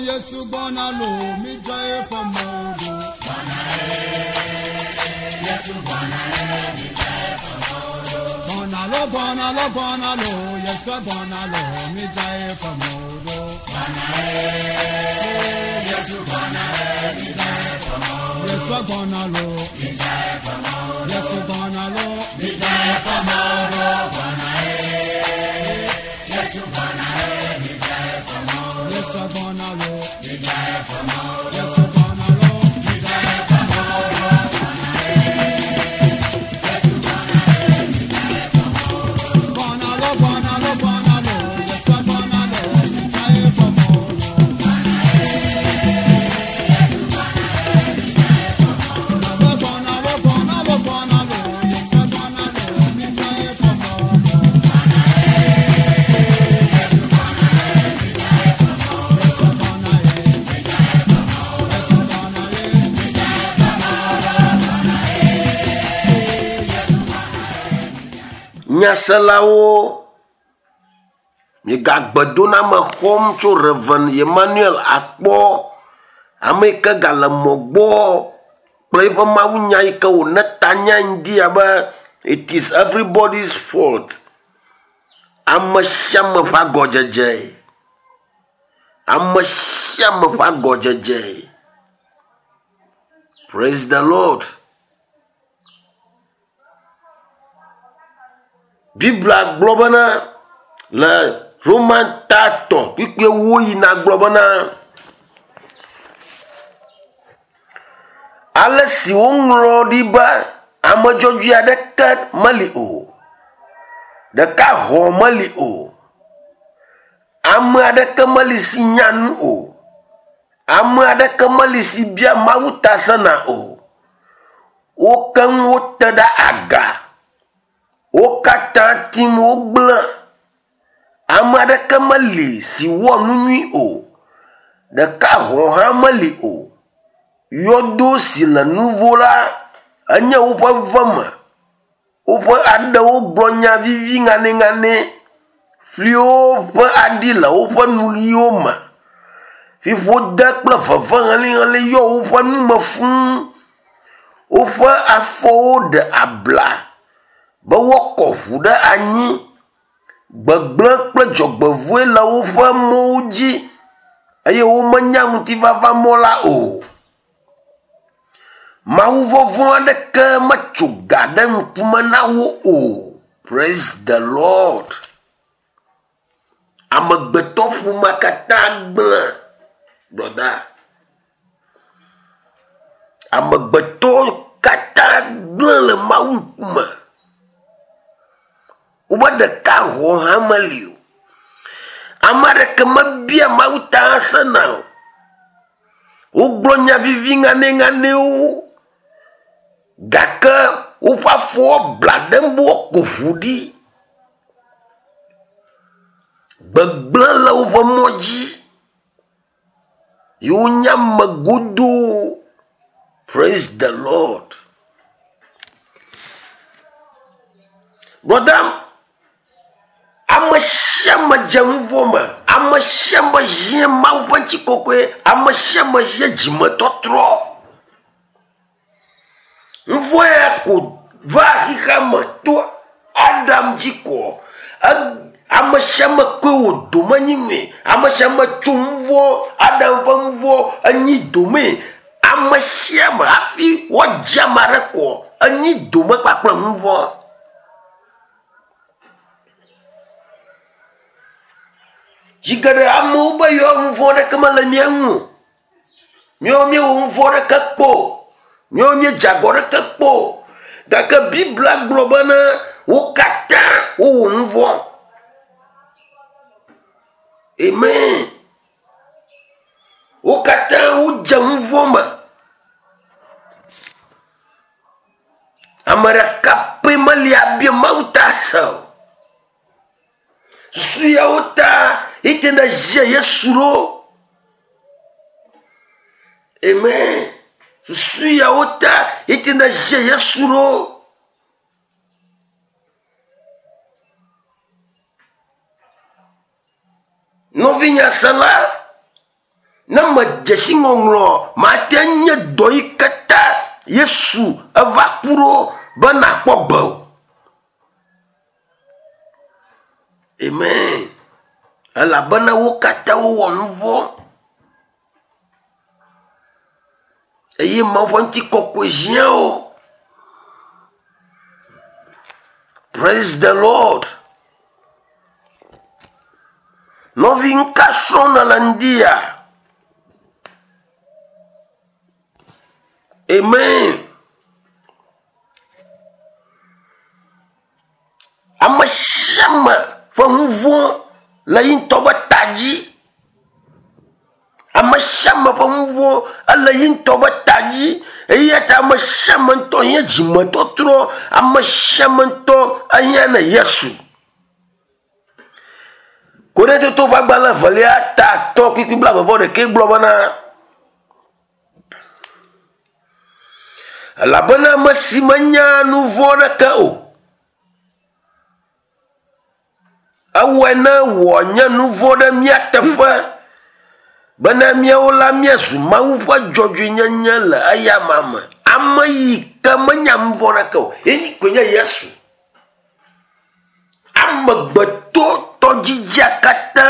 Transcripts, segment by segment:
Yesu gbɔna lo, midzra eƒe mɔwo ɖo. Gbɔna lo, gbɔna lo, gbɔna lo, Yesu gbɔna lo, midzra eƒe mɔwo ɖo. Yesu gbɔna lo, Yesu gbɔna lo, Yesu gbɔna lo, Yesu gbɔna lo, Gbɔna lo, gbɔna lo, gbɔna lo, Yesu gbɔna lo, midzra eƒe mɔwo ɖo. Gbɔna lo, gbɔna lo, gbɔna lo, Yesu gbɔna lo, midzra eƒe mɔwo ɖo. Yesu gbɔna ye, Yesu gbɔna ye. Nyaselawo, migagbedoname xɔm tso Rev. Emmanuel Akpɔ, ame yi ke gale mɔ gbɔ kple eƒe mawunya yi ke wòne ta nya ŋdi abe it is everybody's fault. Ame sia ame ƒe agɔdzedze. Ame sia ame ƒe agɔdzedze. Praise the Lord. Biblia gblɔ bena le Roman ta 3 kpukpui 4 yina gblɔ bena ale si woŋlɔ ɖi be ame dzɔdzɔe aɖeke meli o, ɖeka hɔ̃ meli o, ame aɖeke meli si nya nu o, ame aɖeke meli si bia Mawu ta sena o. Wo keŋ wote ɖe aga, wo katã tim wogblẽ. Ame aɖeke meli si wɔ nu nyui o, ɖeka hɔ̃ hã meli o. Yɔdo si le nuvo la enye woƒe veme. Woƒe aɖewo gblɔ nya vivi ŋanɛŋanɛ. Ƒliwo ƒe aɖi le woƒe nuyiwo me. Fiƒode kple veve helĩhelĩ yɔ woƒe nume fũu. Woƒe afɔwo ɖe abla be woakɔ ʋu ɖe anyi. Gbegblẽ kple dzɔgbevɔ̃e le woƒe mɔwo dzi eye womenya ŋutifafa mɔ la o. Mawuvɔvɔ̃ aɖeke metso ga ɖe ŋkume na wo o. Praise the Lord. Amegbetɔ ƒomea katã gblẽ brɔda. Amegbetɔ katã gblẽ le Mawu ŋkume. Wobe ɖeka hɔ̃ hã meli o. Ame aɖeke mebia Mawu ta sena o. Wogblɔ nya vivi ŋanɛŋanɛwo gake woƒe afɔwo bla ɖe be woako ʋu ɖi. Gbegblẽ le woƒe mɔ dzi ye wonye ame godoo. Praise the Lord. Brɔda, ame sia ame dze nu vɔ̃ me. Ame sia ame hiã Mawu ƒe ŋutikɔkɔe. Ame sia ame hiã dzimetɔtrɔ. Nu vɔ̃ ya ko va xexea me to Adam dzi koa, ame sia ame koe wò dome nyi nui. Ame sia ame tso nu vɔ̃, Adam ƒe nu vɔ̃ enyi domee. Ame sia ame hafi woadzi ame aɖe koa, enyi dome kpakple nu vɔ̃. Zi geɖe amewo be yewoa nu vɔ̃ aɖeke mele mía ŋu o. Míawo míewɔ nu vɔ̃ aɖeke kpɔ o. Míawo míedze agɔ aɖeke kpɔ o. Gake Biblia gblɔ bena wo katã wowɔ nu vɔ̃. Amen. Wo katã wodze nu vɔ̃ me. Ame ɖeka pɛ meli abia Mawu ta se o. Susu yawo ta ete ne zie Yesu ɖo. Amen. Susu yawo ta ete ne zie Yesu ɖo. Nɔvinyasela, Ne medze si ŋɔŋlɔ, mate nye dɔ yi ke ta Yesu eva ku ɖo be nakpɔ gbe o. Amen. Elabena wo katã wowɔ nu vɔ̃ eye Mawu ƒe ŋutikɔkɔe hiã wo. Praise the Lord. Nɔvi ŋka srɔ̃m nèle ŋdi ya? Amen. Ame sia ame ƒe nu vɔ̃ le ye ŋutɔ ƒe ta dzi. Ame sia ame ƒe nu vɔ̃ ele ye ŋutɔ ƒe ta dzi eya ta ame sia ame ŋutɔ hiã dzimetɔtrɔ. Ame sia ame ŋutɔ ehiã ne Yesu. Korintoto ƒe agbalẽ evelia ta atɔ̃ kpukpui blaeve-vɔ-ɖekɛ gblɔ bena, Elabena ame si menya nu vɔ̃ aɖeke o, ewɔe ne wòanye nu vɔ̃ ɖe mía teƒe bena míawo la míazu Mawu ƒe dzɔdzɔenyenye le eyama me. Ame yi ke menya nu vɔ̃ aɖeke o, ye koe nye Yesu. Amegbetɔ tɔdzidzia katã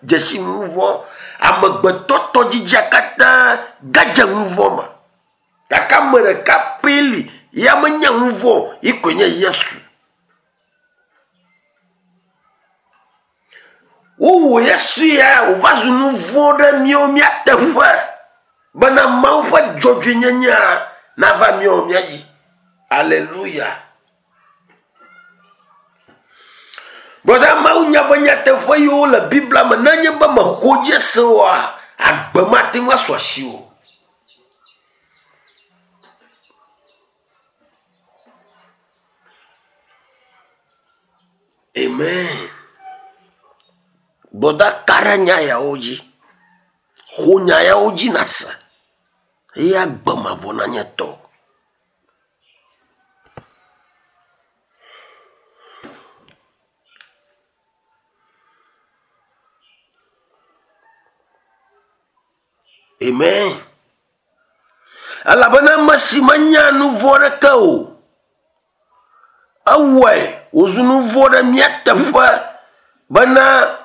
dze si nu vɔ̃. Amegbetɔ tɔdzidzia katã gadze nu vɔ̃ me. Gake ame ɖeka pɛ li ya menye nu vɔ̃ o, ye koe nye Yesu. Wowɔ Yesu ya wòva zu nu vɔ̃ ɖe míawo mía teƒe bena Mawu ƒe dzɔdzɔenyenyea nava míawo mía dzi. Aleluya. Brɔda Mawu nya be nyateƒe yiwo le Biblia me nenye be mexɔ dzi ese oa, agbe mate ŋu asu asiwò. Amen. Brɔda ka ɖe nya yawo dzi. Xɔ nya yawo dzi nàse eye agbe mavɔ nanye tɔwò. Amen. Elabena ame si menya nu vɔ̃ aɖeke o, ewɔe wòzu nu vɔ̃ ɖe mía teƒe bena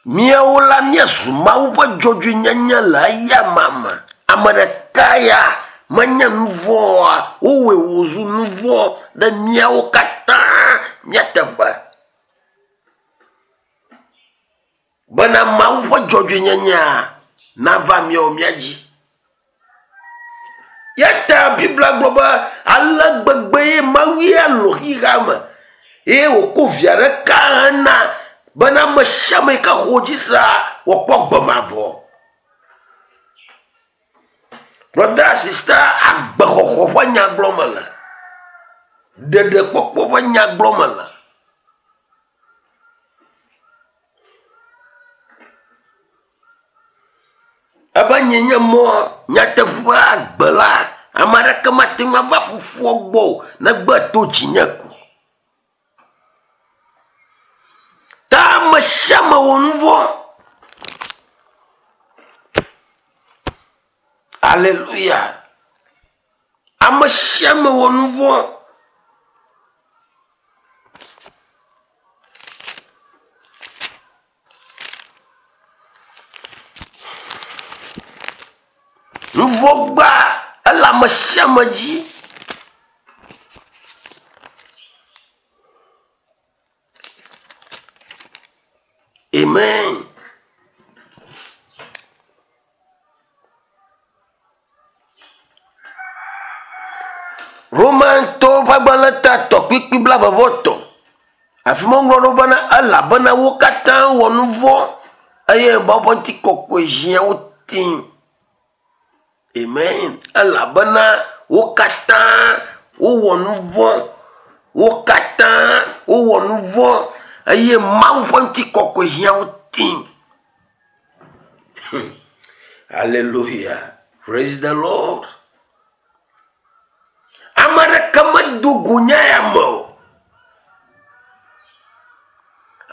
Míawo la míazu Mawu ƒe dzɔdzɔenyenye le eyama me. Ame ɖeka ya menye nu vɔ̃ oa, wowɔe wòzu nu vɔ̃ ɖe míawo katã mía teƒe. Bena Mawu ƒe dzɔdzɔenyenyea nava míawo mía dzi. Ya ta Biblia gblɔ be ale gbegbe ye Mawu ya lɔ̃ xexea me eye wòko via ɖeka hena bena ame sia ame yi ke xɔ edzi sea wòakpɔ agbe mavɔ. Brɔda sista agbexɔxɔ ƒe nya gblɔm mele. Ɖeɖekpɔkpɔ ƒe nya gblɔm mele. Ebe nyee nye mɔ, nyateƒe, agbe la, ame aɖeke mate ŋu ava fofoa gbɔ o negbe to dzinye ko. Ta ame sia ame wɔ nu vɔ̃. Aleluya. Ame sia ame wɔ nu vɔ̃. Nuvɔ̃gba ele ame sia ame dzi. Amen. Romatɔwo ƒe agbalẽ ta tɔ kpikpi blaeve vɔ etɔ̃. Afi ma woŋlɔ ɖo bena elabena wo katã wɔ nu vɔ̃ eye Mawu ƒe ŋutikɔkɔe ʒia wo ti. Amen. Elabena wo katã wowɔ nu vɔ̃. Wo katã wowɔ nu vɔ̃ eye Mawu ƒe ŋutikɔkɔe ʒia wo ti. Hallelujah. Praise the Lord. Ame aɖeke medo go nya ya me o.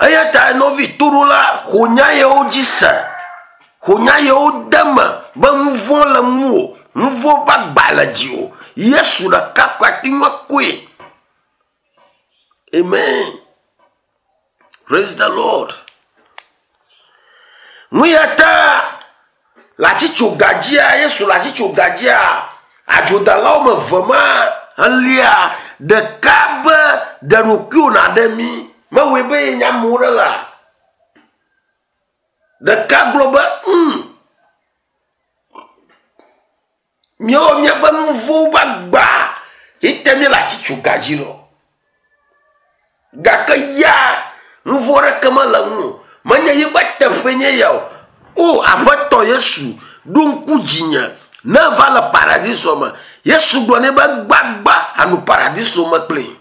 Eya ta nɔvi toɖola xɔ nya yawo dzi se. Xo nya yewo de me be nu vɔ̃ le ŋuwò, nu vɔ̃ ƒe agba le dziwò. Yesu ɖeka ko ate ŋu akɔe. Amen. Praise the Lord. Nu ya ta le atitsoga dzia, Yesu le atitsoga dzia, adzodalawo me ve ma elia ɖeka be ɖe ɖokuiwò nàɖe mí. Mewɔe be yenye ame ɖe la. Ɖeka gblɔ be, mm, míawo míaƒe nu vɔ̃wo ƒe agba ye te míele atitsoga dzi le o. Gake ya nu vɔ̃ aɖeke mele eŋu o. Menye yiƒe teƒee nye ya o. O Aƒetɔ Yesu, ɖo ŋku dzinye ne eva le paradiso me. Yesu gblɔ nɛ be gbagba anɔ paradiso me kplii.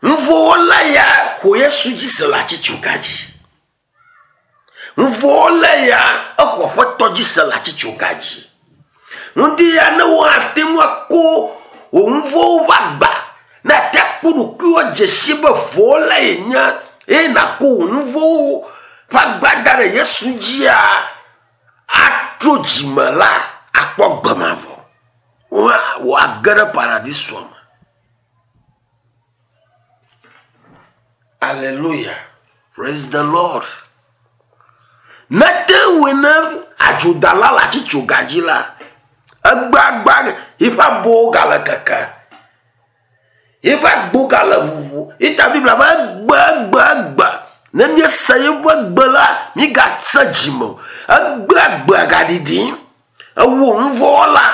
Nuvɔ̃wɔla ya xɔ Yesu dzi se le atitsoga dzi. Nuvɔ̃wɔla ya exɔ Aƒetɔ dzi se le atitsoga dzi. Ŋdi ya ne woate ŋu ako wò nuvɔ̃wo ƒe agba, ne àte akpɔ ɖokuiwò adze si be vɔ̃wɔla yenye eye nàko wò nuvɔ̃wo ƒe agba da ɖe Yesu dzia, atro dzime la, akpɔ agbe mavɔ. Woage ɖe paradisoa me. Aleluya. Praise the Lord. Ne te ŋui ne adzodala le atitsoga dzi la, egbagba yiƒe abɔwo gale keke. Yiƒe agbo gale ʋuʋu. Yita Biblia be egbe egbe egbe. Ne míese yiƒe gbe la, mígase dzime o. Egbe egbea gaɖiɖim. Ewɔ nuvɔ̃wɔla,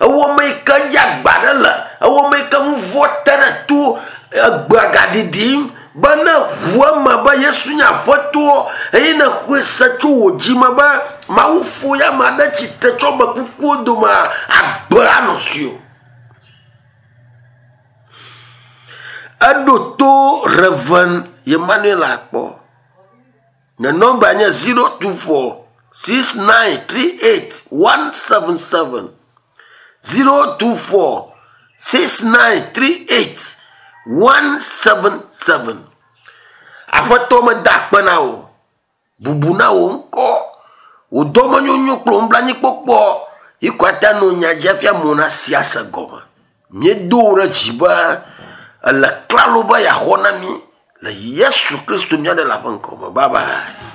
ewɔ ame yi ke dzi agba ɖe le, ewɔ ame yi ke nuvɔ̃ te ɖe to, egbea gaɖiɖim be ne ʋu eme be Yesu nye Aƒetɔ eye nèxɔe se tso wò dzi me be Mawu fo ye ame aɖe tsitre tso ame kukuwo domea, agbe anɔ asiwò. Eɖo to Rev. Emmanuel akpɔ. Nye nɔmba nye 024 6938 177. 024 6938 177. Aƒetɔ meda akpe na wò. Bubu na wò ŋkɔ. Wò dɔmenyonyo kple wò nublanuikpɔkpɔ yi ko ate ŋu anɔ nya dzi hafi amewo nasi ase gɔme. Míedo wò ɖe dzi be èle klalo be yeaxɔ na mí le Yesu Kristo mía Ɖela ƒe ŋkɔ me. Bye bye.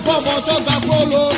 Bọ́bọ̀ tó gbà kóló.